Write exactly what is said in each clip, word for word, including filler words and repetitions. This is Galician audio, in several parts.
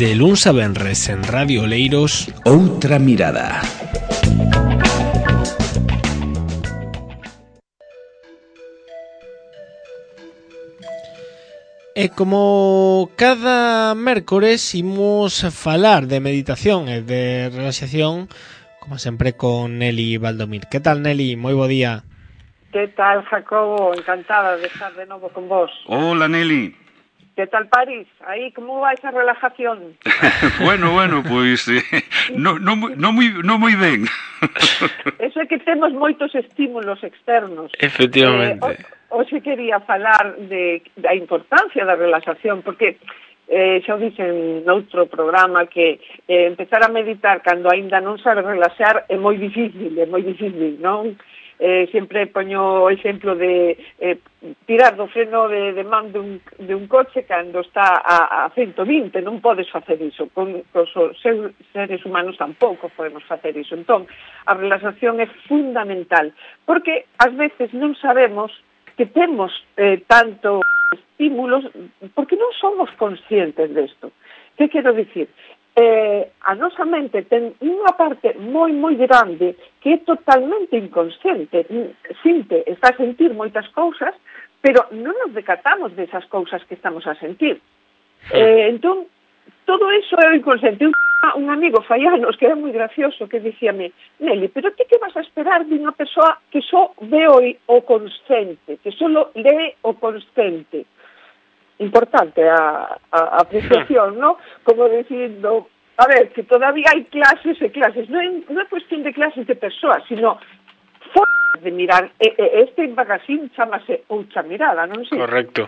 De luns a venres en Radio Oleiros, Outra mirada. E como cada mércores imos falar de meditación e de relaxación, como sempre, con Nelly Valdomir. Que tal, Nelly? Moi bo día. Que tal, Jacobo? Encantada de estar de novo con vos. Hola, Nelly. Que tal, París? Aí, como vai esa relajación? bueno, bueno, pois pues, eh, no, no, no, moi, no moi ben. Eso é que temos moitos estímulos externos. Efectivamente. Eh, hoxe quería falar de, da importancia da relaxación, porque eh, xa o dixen noutro programa que eh, empezar a meditar cando aínda non sabe relaxar é moi difícil, é moi difícil, non? Eh, sempre poño o exemplo de eh, tirar do freno de, de man de un, de un coche cando está a, a ciento vinte, non podes facer iso, con, con os seres humanos tampouco podemos facer iso. Entón, a relaxación é fundamental, porque ás veces non sabemos que temos eh, tanto estímulos, porque non somos conscientes desto. Que quero dicir? Eh, a nosa mente ten unha parte moi, moi grande que é totalmente inconsciente. Sinte, está a sentir moitas cousas, pero non nos decatamos desas cousas que estamos a sentir. Eh, entón, todo iso é o inconsciente. Un, un amigo fai anos que era moi gracioso que dicíame: Nelly, pero ti que vas a esperar de unha persoa que só ve o, o consciente, que só lee o consciente? Importante a, a, a apreciación, ¿no? Como dicindo, a ver, que todavía hai clases e clases, non é, non é cuestión de clases de persoas, sino formas de mirar. E, e, este magazine chamase Outra Mirada, non sei? Correcto.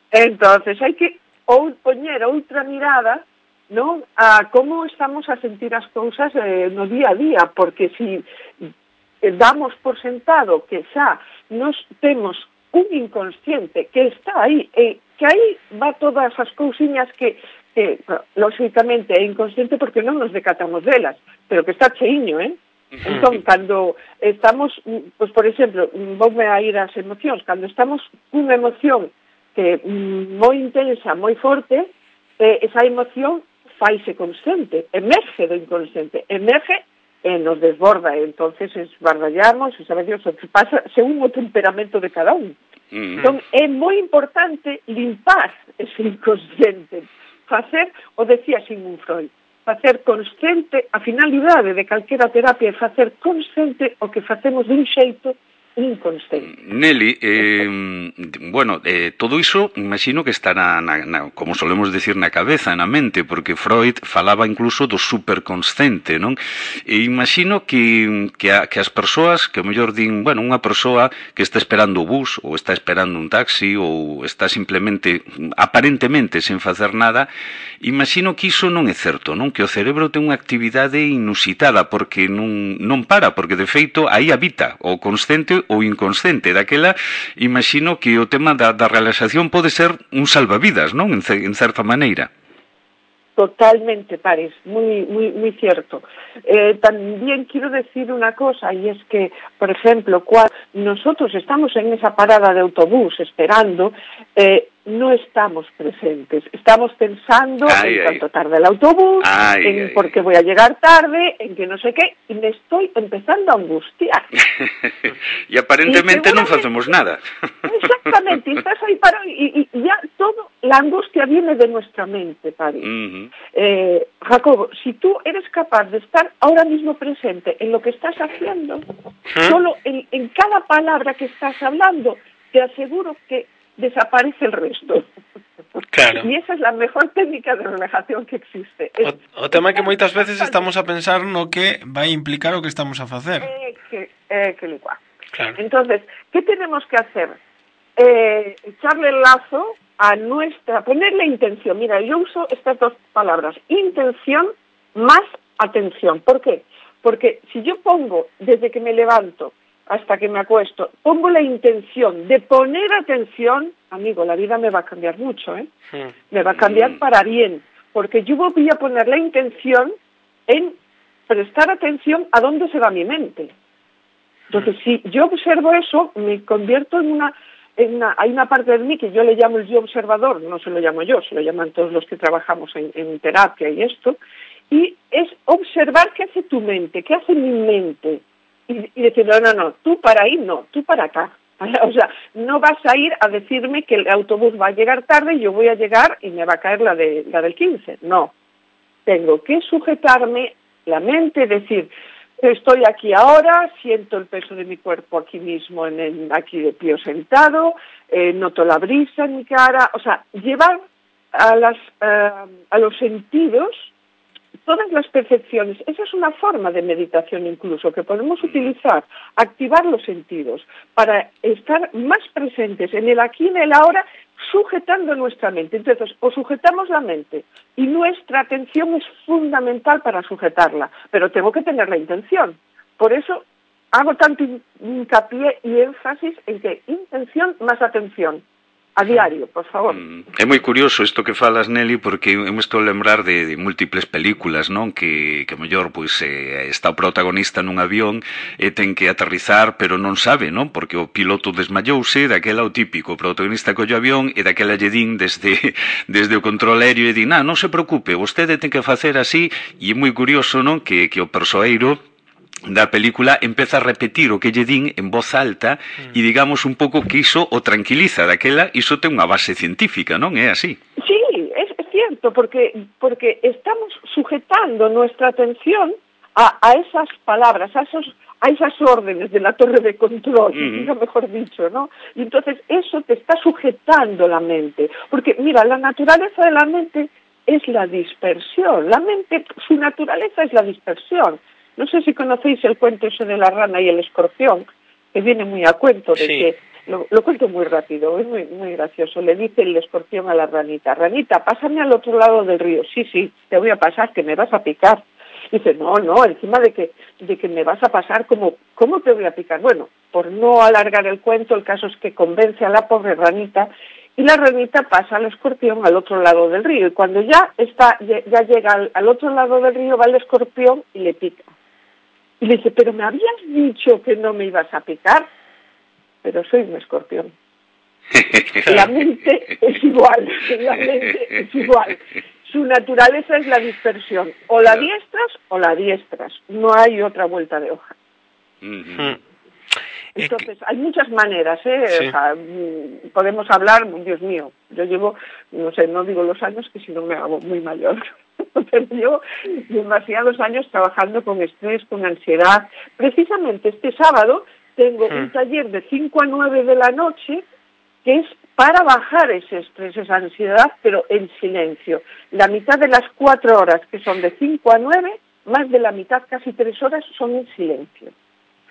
Entonces, hai que ou poñer outra mirada, non, a como estamos a sentir as cousas eh, no día a día, porque si eh, damos por sentado que xa nos temos un inconsciente que está aí, e que aí va todas as cousiñas que, que lógicamente é inconsciente porque non nos decatamos delas, pero que está cheiño, eh? Entón, cando estamos, pues, por exemplo, voume a ir ás emocións, cando estamos cunha emoción que mm, moi intensa, moi forte, eh, esa emoción faise consciente, emerge do inconsciente, emerge e nos desborda, e entonces esbardallamos, e sabe Dios o que pasa según o temperamento de cada un. Mm. Entón, é moi importante limpar ese inconsciente, facer, o decía Sigmund Freud, facer consciente, a finalidade de calquera terapia é facer consciente o que facemos dun xeito inconsciente. Nelly, eh, bueno, eh, todo iso imagino que está na, na, na, como solemos decir, na cabeza, na mente, porque Freud falaba incluso do superconsciente, non? E imagino que, que, a, que as persoas, que o mellor din, bueno, unha persoa que está esperando o bus, ou está esperando un taxi, ou está simplemente, aparentemente, sen facer nada, imagino que iso non é certo, non? Que o cerebro ten unha actividade inusitada, porque non, non para, porque de feito aí habita o consciente ou inconsciente. Daquela, imagino que o tema da, da relaxación pode ser un salvavidas, non? En, en certa maneira. Totalmente, París, muy, muy, muy cierto. Eh, también quiero decir una cosa, y es que, por ejemplo, cuando nosotros estamos en esa parada de autobús esperando, eh, no estamos presentes, estamos pensando ay, en cuánto tarda el autobús, ay, en ay, por qué voy a llegar tarde, en que no sé qué, y me estoy empezando a angustiar. Y aparentemente no hacemos nada. Exactamente, y estás ahí parado, y, y ya todo, la angustia viene de nuestra mente, París. Uh-huh. eh, Jacobo, si tú eres capaz de estar ahora mismo presente en lo que estás haciendo, ¿huh? Solo en, en cada palabra que estás hablando, te aseguro que desaparece el resto. Claro. E esa é a mejor técnica de relajación que existe. O, o tema é que moitas veces estamos a pensar no que vai implicar o que estamos a facer. É que, é que igual. Claro. Entonces, ¿qué tenemos que hacer? Eh, echarle el lazo a nuestra, ponerle intención. Mira, yo uso estas dos palabras, intención más atención. ¿Por qué? Porque si yo pongo, desde que me levanto hasta que me acuesto, pongo la intención de poner atención, amigo, la vida me va a cambiar mucho, ¿eh? Sí. Me va a cambiar mm. para bien, porque yo voy a poner la intención en prestar atención a dónde se va mi mente. Entonces, mm. si yo observo eso, me convierto en una en una, hay una parte de mí que yo le llamo el yo observador, no se lo llamo yo, se lo llaman todos los que trabajamos en, en terapia y esto, y es observar qué hace tu mente, qué hace mi mente, y, y decir, no, no, no, tú para ahí no, tú para acá. O sea, no vas a ir a decirme que el autobús va a llegar tarde y yo voy a llegar y me va a caer la, de, la del quince. No, tengo que sujetarme la mente, decir, estoy aquí ahora, siento el peso de mi cuerpo aquí mismo, en el, aquí de pie o sentado, eh, noto la brisa en mi cara, o sea, llevar a, las, uh, a los sentidos todas las percepciones. Esa es una forma de meditación incluso, que podemos utilizar, activar los sentidos para estar más presentes en el aquí y en el ahora, sujetando nuestra mente. Entonces, o sujetamos la mente, y nuestra atención es fundamental para sujetarla, pero tengo que tener la intención. Por eso hago tanto hincapié y énfasis en que intención más atención. A diario, por favor. É moi curioso isto que falas, Nelly, porque eu me estou a lembrar de, de múltiples películas, non? Que, que mellor, pois, eh, está o protagonista nun avión e ten que aterrizar, pero non sabe, non? Porque o piloto desmayouse, daquela o típico, o protagonista colle o avión e daquela lle din desde, desde o control aéreo e din, ah, non se preocupe, vostede ten que facer así, e é moi curioso, non? Que, que o persoeiro da película empeza a repetir o que lle din en voz alta e digamos un pouco que iso o tranquiliza, daquela iso ten unha base científica, non é así? Sí, es cierto, porque porque estamos sujetando nuestra atención a, a esas palabras, a esos a esas órdenes de la torre de control, mm. mejor dicho, ¿no? Y entonces eso te está sujetando la mente, porque mira, la naturaleza de la mente es la dispersión, la mente, su naturaleza es la dispersión. No sé si conocéis el cuento ese de la rana y el escorpión, que viene muy a cuento de sí. que, lo, lo cuento muy rápido, es muy, muy gracioso. Le dice el escorpión a la ranita, ranita, pásame al otro lado del río. Sí, sí, te voy a pasar, que me vas a picar. Dice, no, no, encima de que, de que me vas a pasar, ¿cómo, ¿cómo te voy a picar? Bueno, por no alargar el cuento, el caso es que convence a la pobre ranita, y la ranita pasa al escorpión al otro lado del río, y cuando ya está, ya llega al, al otro lado del río, va el escorpión y le pica. Y le dice, pero me habías dicho que no me ibas a picar, pero soy un escorpión. La mente es igual, la mente es igual. Su naturaleza es la dispersión, o la diestras o la diestras, no hay otra vuelta de hoja. Mm-hmm. Entonces, hay muchas maneras, ¿eh? Sí. O sea, podemos hablar, Dios mío, yo llevo, no sé, no digo los años que si no me hago muy mayor, pero llevo demasiados años trabajando con estrés, con ansiedad. Precisamente este sábado tengo mm. un taller de cinco a nueve de la noche que es para bajar ese estrés, esa ansiedad, pero en silencio. La mitad de las cuatro horas, que son de cinco a nueve, más de la mitad, casi tres horas, son en silencio.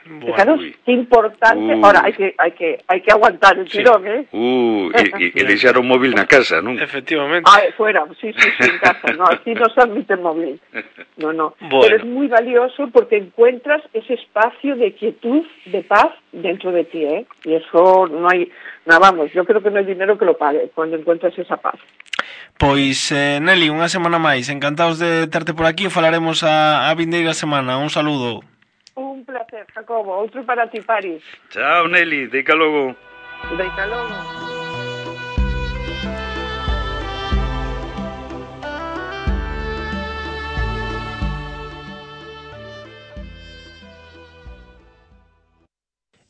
Bueno, fijaros qué importante. Uh, Ahora hay que hay que hay que aguantar el sí. tirón, ¿eh? Uh, y, y, y deixar o móvil na casa, ¿no? Efectivamente. Ah, fuera, sí, sí, sí, en casa. No, aquí no se admite móvil. No, no. Bueno. Pero es muy valioso porque encuentras ese espacio de quietud, de paz dentro de ti, ¿eh? Y eso no hay, no, vamos, yo creo que no hay dinero que lo pague cuando encuentras esa paz. Pois, eh, Nelly, unha semana máis. Encantados de terte por aquí. Falaremos a, a vindeira semana. Un saludo. Un placer, Jacobo. Outro para ti, Paris. Chao, Nelly. Deica logo. Deica logo.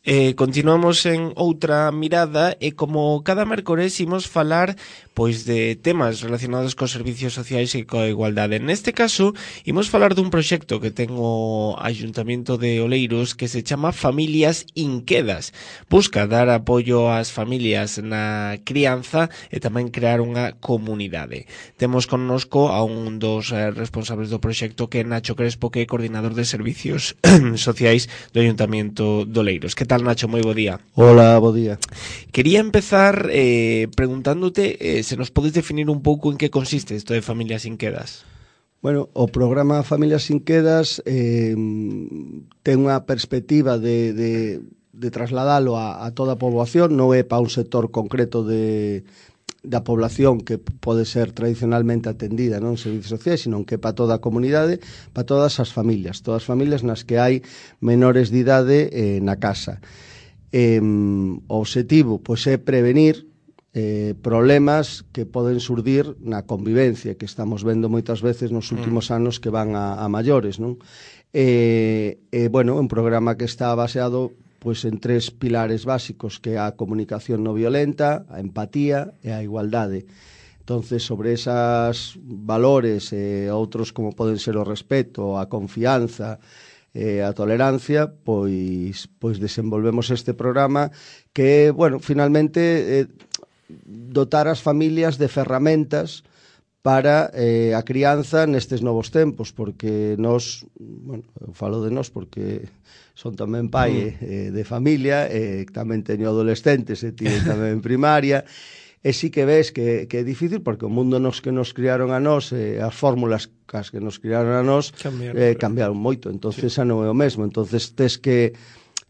Eh, continuamos en outra mirada e como cada mércores imos falar pois de temas relacionados cos servicios sociais e coa igualdade. Neste caso, imos falar dun proxecto que ten o Ayuntamiento de Oleiros que se chama Familias Inquedas. Busca dar apoio ás familias na crianza e tamén crear unha comunidade. Temos connosco a un dos eh, responsables do proxecto que é Nacho Crespo, que é coordinador de servicios sociais do Ayuntamiento de Oleiros. Que tal, Nacho? Moi bo día. Hola, bo día. Quería empezar eh, preguntándote eh, se nos podes definir un pouco en que consiste isto de Familias Inquedas. Bueno, o programa Familias Inquedas eh, ten unha perspectiva de, de, de trasladalo a, a toda a poboación, non é para un sector concreto de, da población que pode ser tradicionalmente atendida non en servicios sociais, sino que é para toda a comunidade, para todas as familias, todas as familias nas que hai menores de idade eh, na casa. Eh, o obxectivo pois, é prevenir eh, problemas que poden surdir na convivencia, que estamos vendo moitas veces nos últimos mm. anos que van a, a maiores, non? E, eh, bueno, un programa que está baseado pois, en tres pilares básicos, que é a comunicación non violenta, a empatía e a igualdade. Entonces, sobre esas valores e eh, outros como poden ser o respeto, a confianza, eh, a tolerancia, pois, pois desenvolvemos este programa que, bueno, finalmente eh, dotar as familias de ferramentas para eh, a crianza nestes novos tempos, porque nós, bueno, eu falo de nós porque son tamén pai mm. eh, de familia, e eh, tamén teño adolescentes e tío tamén en primaria, e sí que ves que, que é difícil, porque o mundo nos que nos criaron a nós, eh, as fórmulas cas que nos criaron a nós, cambiaron, eh, cambiaron moito, entonces sí. xa non é o mesmo, entonces tes que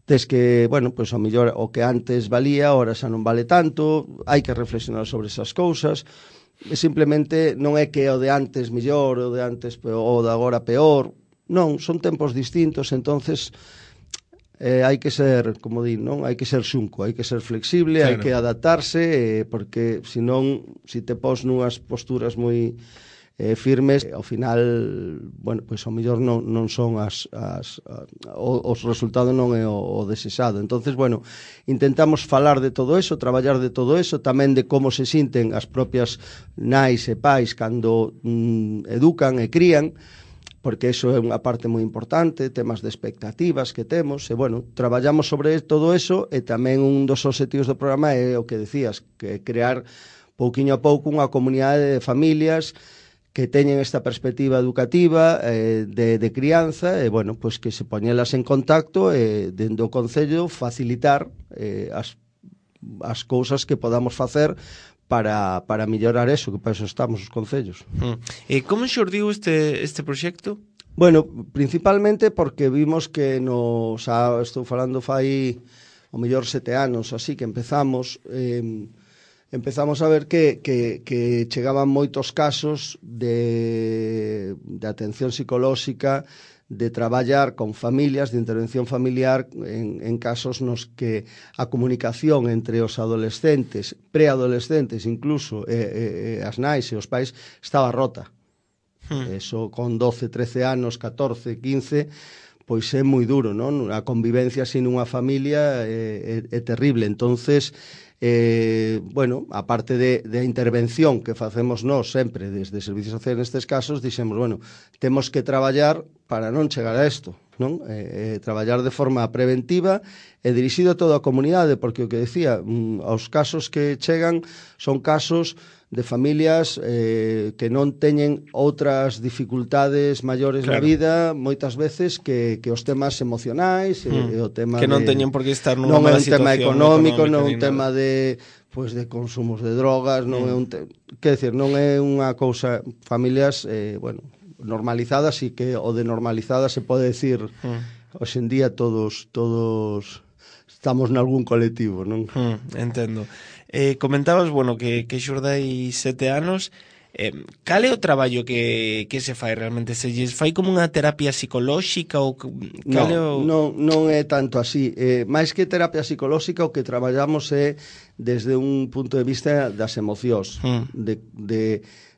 tes que, bueno, pois a mellor o que antes valía, ahora xa non vale tanto, hai que reflexionar sobre esas cousas, e simplemente non é que o de antes mellor, o de antes peor, o de agora peor, non, son tempos distintos, entonces eh, hai que ser, como di, non, hai que ser xunco, hai que ser flexible, claro. Hai que adaptarse, eh, porque senón, se si te pos nunhas posturas moi eh, firmes, ao final, bueno, pois ao mellor non, non son as, as, a, o, os resultados non é o, o desexado. Entonces, bueno, intentamos falar de todo eso, traballar de todo eso, tamén de como se sinten as propias nais e pais cando mm, educan e crían, porque eso é unha parte moi importante, temas de expectativas que temos, e, bueno, traballamos sobre todo eso, e tamén un dos obxectivos do programa é o que decías, que crear pouquiño a pouco unha comunidade de familias que teñen esta perspectiva educativa eh, de, de crianza, e, bueno, pois que se poñelas en contacto e, dende o Concello, facilitar eh, as, as cousas que podamos facer para, para mellorar eso, que para eso estamos os concellos. Mm. E como xurdiu este, este proxecto? Bueno, principalmente porque vimos que nos, xa estou falando fai o mellor sete anos, así que empezamos... Eh, empezamos a ver que, que, que chegaban moitos casos de, de atención psicolóxica, de traballar con familias, de intervención familiar, en, en casos nos que a comunicación entre os adolescentes, preadolescentes incluso, e, e, as nais e os pais, estaba rota. Hmm. Eso con doce, trece anos, catorce, quince... pois é moi duro, non? A convivencia sin unha familia é, é, é terrible. Entonces, eh, bueno, a parte de, de intervención que facemos nós sempre desde Servicios Sociais nestes casos, dixemos, bueno, temos que traballar para non chegar a isto, non? Eh, eh, traballar de forma preventiva e dirixido a toda a comunidade, porque o que decía, mm, os casos que chegan son casos de familias eh, que non teñen outras dificultades maiores claro. Na vida, moitas veces que, que os temas emocionais mm. e o tema que non de, teñen por que estar nunha mala situación, non é un tema económico, non é un tema de pois de consumos de drogas, non mm. é un te... que decir, non é unha cousa, familias eh, bueno, normalizadas, e que o de normalizadas se pode decir mm. hoxe en día todos todos estamos nalgún colectivo, non? Mm, entendo. Eh, comentabas, bueno, que, que xurdai sete anos. Eh, cal é o traballo que, que se fai realmente? Se lles fai como unha terapia psicolóxica ou cal no, é o... non, non é tanto así. Eh, máis que terapia psicolóxica, o que traballamos é desde un punto de vista das emocións, mm. de, de,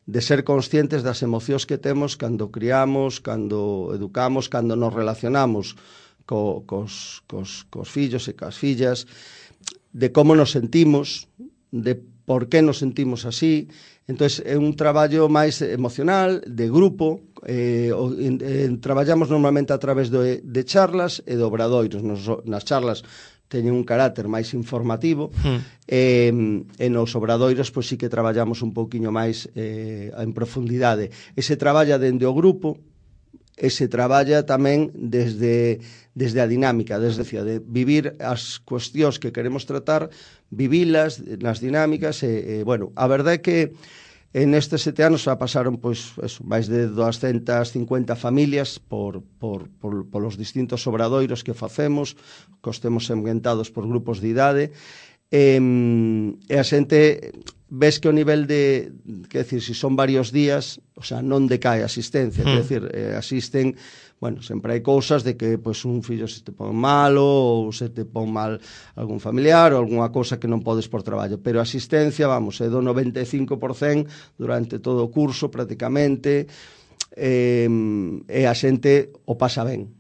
de ser conscientes das emocións que temos cando criamos, cando educamos, cando nos relacionamos co, cos, cos, cos fillos e cas fillas, de como nos sentimos, de por que nos sentimos así. Entón, é un traballo máis emocional, de grupo, eh, o, en, en, traballamos normalmente a través de, de charlas e de obradoiros. Nos, nas charlas teñen un carácter máis informativo, hmm. e, e nos obradoiros pois sí que traballamos un pouquiño máis eh, en profundidade. E se traballa dende o grupo, e se traballa tamén desde, desde a dinámica, desde de vivir as cuestións que queremos tratar, vivilas nas dinámicas, e, e bueno, a verdade é que en estes sete anos xa pasaron pois, eso, máis de doscientas cincuenta familias por, por, por, por os distintos obradoiros que facemos, que os temos ambientados por grupos de idade, E, e a xente ves que o nivel de, que decir, se si son varios días, o sea, non decae a asistencia, mm. que decir, eh, asisten, bueno, sempre hai cousas de que pois un fillo se te pon malo ou se te pon mal algún familiar ou algunha cousa que non podes por traballo, pero a asistencia, vamos, é do noventa e cinco por cento durante todo o curso prácticamente, eh, e a xente o pasa ben.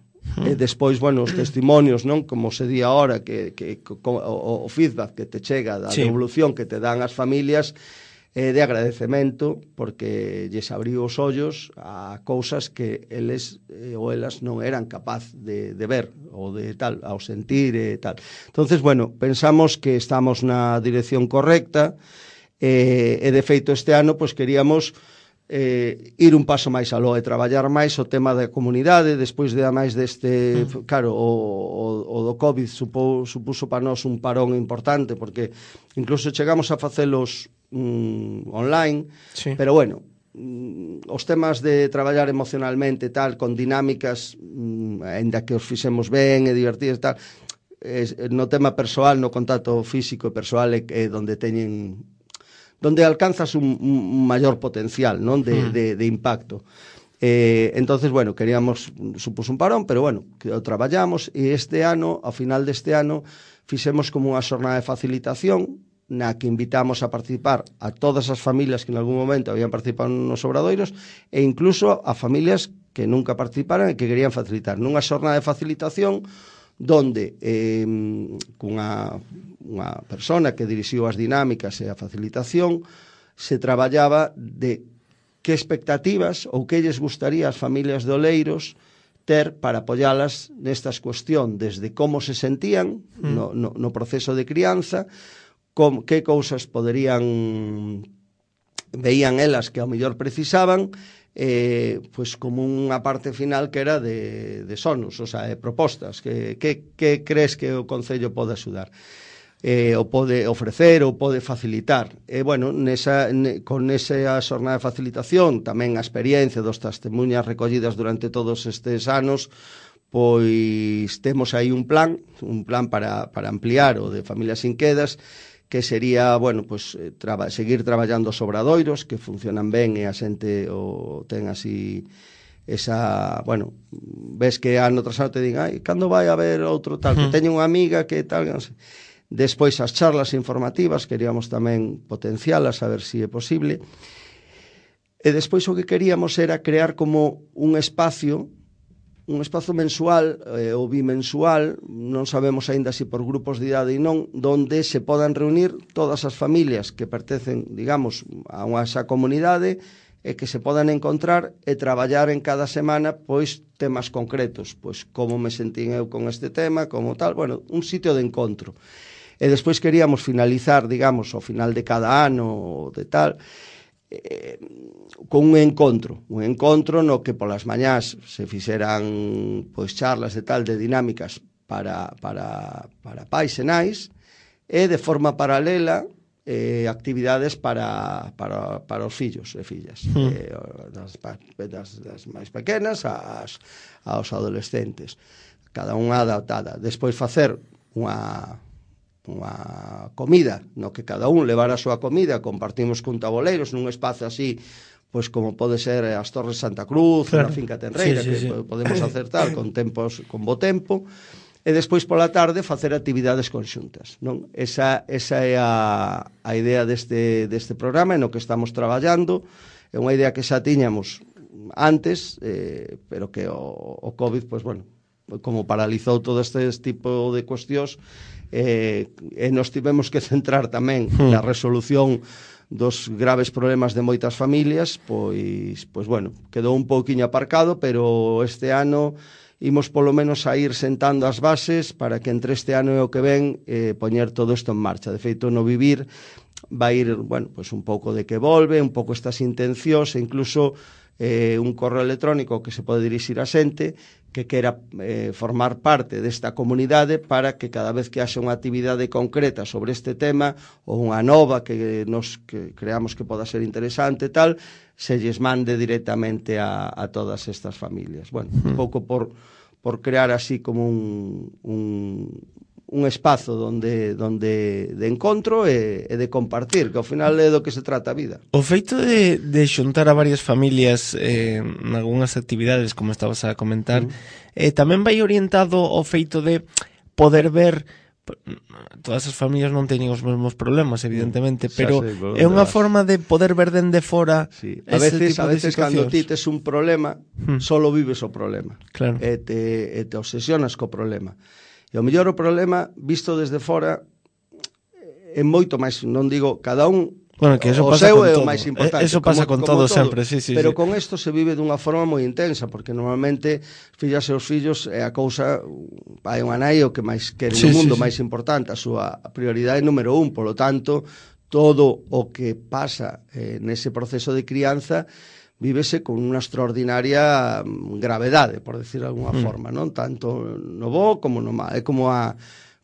E despois, bueno, os testimonios, non? Como se di ahora, que, que, co, o, o feedback que te chega da sí. devolución que te dan as familias é de agradecemento, porque lles abriu os ollos a cousas que eles eh, ou elas non eran capaz de, de ver ou de tal, ao sentir e tal. Entonces, bueno, pensamos que estamos na dirección correcta e, e de feito este ano, pois queríamos Eh, ir un paso máis aló e traballar máis o tema da comunidade despois de máis deste, mm. claro, o, o, o do COVID supo, supuso para nós un parón importante porque incluso chegamos a facelos mm, online, sí. pero bueno, mm, os temas de traballar emocionalmente tal, con dinámicas mm, ainda que os fixemos ben e divertidos tal, es, no tema persoal, no contacto físico e persoal é, é donde teñen donde alcanzas un, un maior potencial, non, de, mm. de, de impacto. Eh, entonces, bueno, queríamos, supuso un parón, pero bueno, que o traballamos, e este ano, ao final deste ano, fixemos como unha xornada de facilitación, na que invitamos a participar a todas as familias que en algún momento habían participado nos obradoiros, e incluso a familias que nunca participaran e que querían facilitar. Nunha xornada de facilitación, donde eh, cunha unha persona que dirixiu as dinámicas e a facilitación se traballaba de que expectativas ou que lles gustaría as familias de Oleiros ter para apoialas nestas cuestión, desde como se sentían mm. no, no, no proceso de crianza, com, que cousas poderían veían elas que ao mellor precisaban, eh, pues como unha parte final que era de, de sonos, o sea, de propostas, que, que, que crees que o Concello pode axudar, eh, ou pode ofrecer, ou pode facilitar. E, bueno, nesa, ne, con esa xornada de facilitación, tamén a experiencia dos testemunhas recollidas durante todos estes anos, pois temos aí un plan, un plan para, para ampliar o de Familias Sin Quedas, que sería, bueno, pues, traba, seguir traballando os obradoiros, que funcionan ben e a xente o ten así esa, bueno, ves que ano tras ano te din, ai, cando vai a haber outro tal, que teño unha amiga que tal, non sei. Despois as charlas informativas, queríamos tamén potencialas, a ver se si é posible. E despois o que queríamos era crear como un espacio un espazo mensual eh, ou bimensual, non sabemos aínda se por grupos de idade e non, donde se podan reunir todas as familias que pertencen, digamos, a unha esa comunidade e que se podan encontrar e traballar en cada semana pois temas concretos, pois como me sentín eu con este tema, como tal, bueno, un sitio de encontro. E despois queríamos finalizar, digamos, ao final de cada ano de tal, eh, con un encontro, un encontro no que polas mañás se fixeran pois charlas de tal de dinámicas para, para, para pais e nais e de forma paralela eh, actividades para, para, para os fillos e fillas, mm. eh, das, das, das máis pequenas ás, aos adolescentes, cada unha adaptada. Despois facer unha unha comida, no que cada un levara a súa comida, compartimos con taboleiros nun espazo así, pois como pode ser as Torres de Santa Cruz, claro. Na finca Tenreira, sí, sí, que sí. podemos hacer tal, con tempos, con bo tempo, e despois pola tarde facer actividades conxuntas, non? Esa, esa é a, a idea deste, deste programa no que estamos traballando, é unha idea que xa tiñamos antes, eh, pero que o, o COVID, pois bueno, como paralizou todo este tipo de cuestións, eh, e nos tivemos que centrar tamén hmm. na resolución dos graves problemas de moitas familias, pois, pois bueno, quedou un pouquiño aparcado, pero este ano imos polo menos a ir sentando as bases para que entre este ano e o que ven eh, poñer todo isto en marcha. De feito, no Vivir vai ir, bueno, pois un pouco de que volve, un pouco estas intencións e incluso eh, un correo electrónico que se pode dirixir a xente que quera eh, formar parte desta comunidade para que cada vez que haxa unha actividade concreta sobre este tema ou unha nova que nos que creamos que poda ser interesante tal, se lles mande directamente a, a todas estas familias. Bueno, un pouco por, por crear así como un, un, un espazo donde donde de encontro e, e de compartir, que ao final é do que se trata a vida. O feito de, de xuntar a varias familias eh, en algunhas actividades, como estabas a comentar, mm. eh, tamén vai orientado ao feito de poder ver. Todas as familias non teñen os mesmos problemas, evidentemente, pero é unha forma de poder ver dende fora. Sí. A veces, a veces cando ti tes un problema, hmm. solo vives o problema. Claro. E te, e te obsesionas co problema. E o mellor o problema, visto desde fora, é moito máis, non digo, cada un Bueno, que eso o pasa seu con é todo. o máis importante. Eso pasa como, con como todo, todo sempre, sí, sí. Pero sí. con isto se vive dunha forma moi intensa, porque normalmente fillas e os fillos é a cousa, hai un nai o que máis quere sí, no mundo, sí, sí. máis importante, a súa prioridade número un, polo tanto, todo o que pasa eh, nese proceso de crianza vívese con unha extraordinaria gravedade, por decir de alguna mm. forma, non? Tanto no bo como no mal, é como a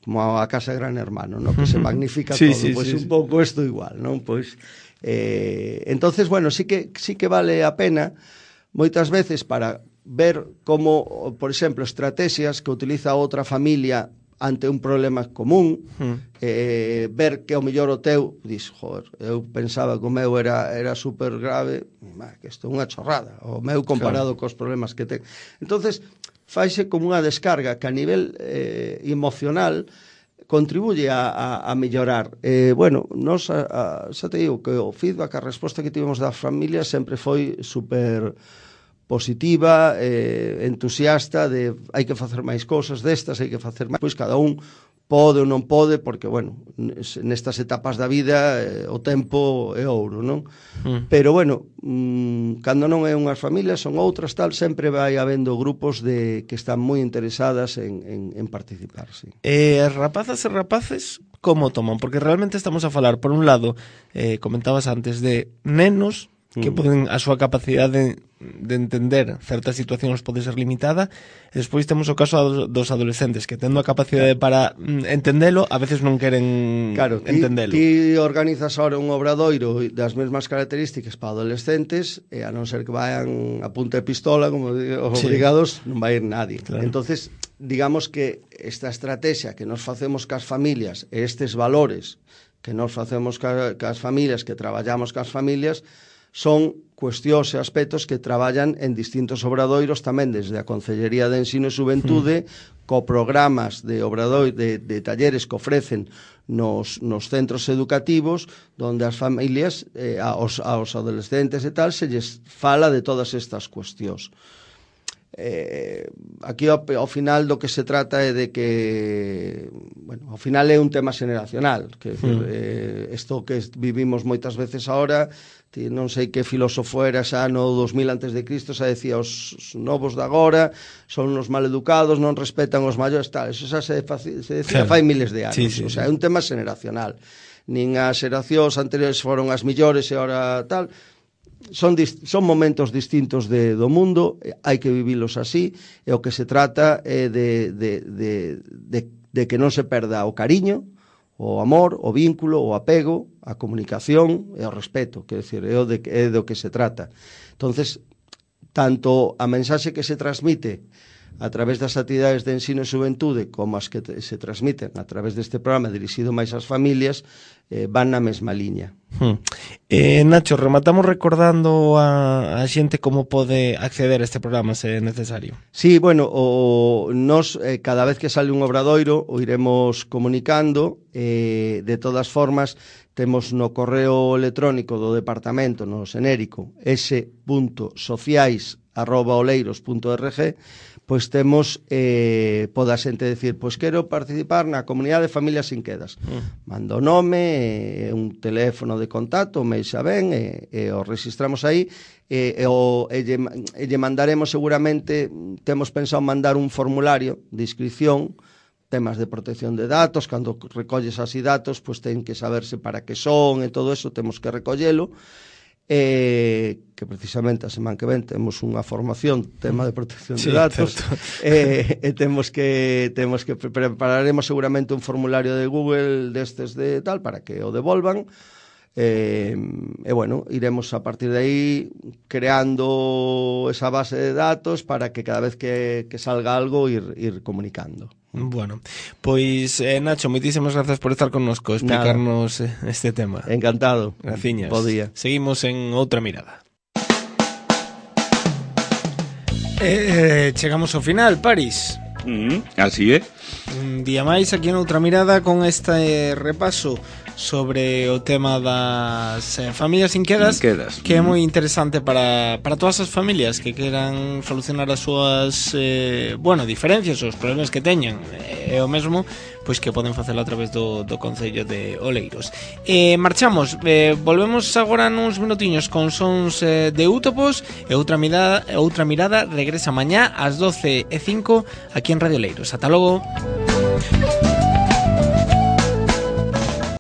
como a casa Gran Hermano, ¿no? Que se magnifica sí, todo, sí, pois pues sí, un pouco isto igual, non? Pois eh, entonces, bueno, sí que sí que vale a pena moitas veces para ver como, por exemplo, estrategias que utiliza outra familia ante un problema común, mm. eh, ver que ao mellor o teu, dis, joder, eu pensaba que o meu era, era super grave, ma, que isto é unha chorrada, o meu comparado claro. cos problemas que ten. Entonces, faise como unha descarga que a nivel eh, emocional contribuye a, a, a mellorar. Eh, bueno, nos, a, a, xa te digo que o feedback, a resposta que tivemos das familias sempre foi super positiva, eh, entusiasta, de hai que facer máis cousas destas, hai que facer máis, pois cada un pode ou non pode, porque, bueno, nestas etapas da vida eh, o tempo é ouro, non? Mm. Pero, bueno, mmm, cando non é unhas familias, son outras, tal, sempre vai habendo grupos de que están moi interesadas en, en, en participar, sí. Eh, rapazas e rapaces, como toman? Porque realmente estamos a falar, por un lado, eh, comentabas antes, de nenos que mm. poden, a súa capacidade de, de entender certas situacións pode ser limitada, e despois temos o caso dos adolescentes que tendo a capacidade para entendelo, a veces non queren claro, entendelo. Ti, ti organizas ahora un obradoiro das mesmas características para adolescentes, e a non ser que vayan a punta de pistola, como digo, os sí. obrigados, non vai ir nadie. Claro. Entonces, digamos que esta estrategia que nos facemos cas familias, e estes valores que nos facemos cas, cas familias, que traballamos cas familias, son cuestións e aspectos que traballan en distintos obradoiros tamén desde a Concellería de Ensino e Xuventude, mm. co programas de obradoiro, de, de talleres que ofrecen nos, nos centros educativos, donde as familias, eh, aos, aos adolescentes e tal, se lles fala de todas estas cuestións. Eh, aquí ao, ao final do que se trata é de que, bueno, ao final é un tema xeneracional, que mm. eh, isto que vivimos moitas veces ahora, non sei que filósofo era xa no dos mil antes de Cristo, xa decía os novos de agora son os maleducados, non respetan os maiores, tal, eso xa se, se decía claro. fai miles de anos, sí, sí, o sea, é un tema xeneracional. Nin as xeracións anteriores foron as millores e ahora tal, son, son momentos distintos de, do mundo, hai que vivilos así, e o que se trata é de, de, de, de, de que non se perda o cariño, o amor, o vínculo, o apego, a comunicación e o respeto, que decir, é, o de, é do que se trata. Entonces, tanto a mensaxe que se transmite a través das actividades de ensino e xuventude como as que se transmiten a través deste programa dirixido máis ás familias eh, van na mesma liña. Hmm. Eh, Nacho, rematamos recordando a, a xente como pode acceder a este programa se é necesario. Sí, bueno, o, nos eh, cada vez que sale un obradoiro o iremos comunicando, eh, de todas formas temos no correo electrónico do departamento, no xenérico, s punto sociais arroba oleiros punto org, pois temos, eh, poda xente decir, pois quero participar na comunidade de familias sin quedas. Mm. Manda o nome, eh, un teléfono de contacto, me xa ben, e, e o registramos aí, e, e, o, e, lle, e lle mandaremos seguramente, temos pensado mandar un formulario de inscripción, temas de protección de datos, cando recolles así datos, pois ten que saberse para que son, e todo eso temos que recollelo, eh, que precisamente a semana que ven temos unha formación tema de protección sí, de datos eh, e temos que temos que prepararemos seguramente un formulario de Google destes de tal para que o devolvan E, e bueno, iremos a partir de aí creando esa base de datos para que cada vez que, que salga algo ir, ir comunicando. Bueno, pois eh, Nacho, moitísimas grazas por estar connosco, explicarnos Nada. este tema. Encantado. Graciñas. Bo día. Seguimos en outra mirada. Eh, chegamos ao final, Paris. Mm, así é. Un día máis aquí en outra mirada con este repaso sobre o tema das eh, familias inquedas, inquedas, que é moi interesante para, para todas as familias que queran solucionar as súas eh, bueno, diferencias, os problemas que teñan, é eh, o mesmo, pois que poden facelo a través do, do Concello de Oleiros. Eh, marchamos, eh, volvemos agora nuns minutiños con sons eh, de Útopos, e outra mirada, outra mirada regresa mañá ás doce e cinco aquí en Radio Oleiros. Ata logo.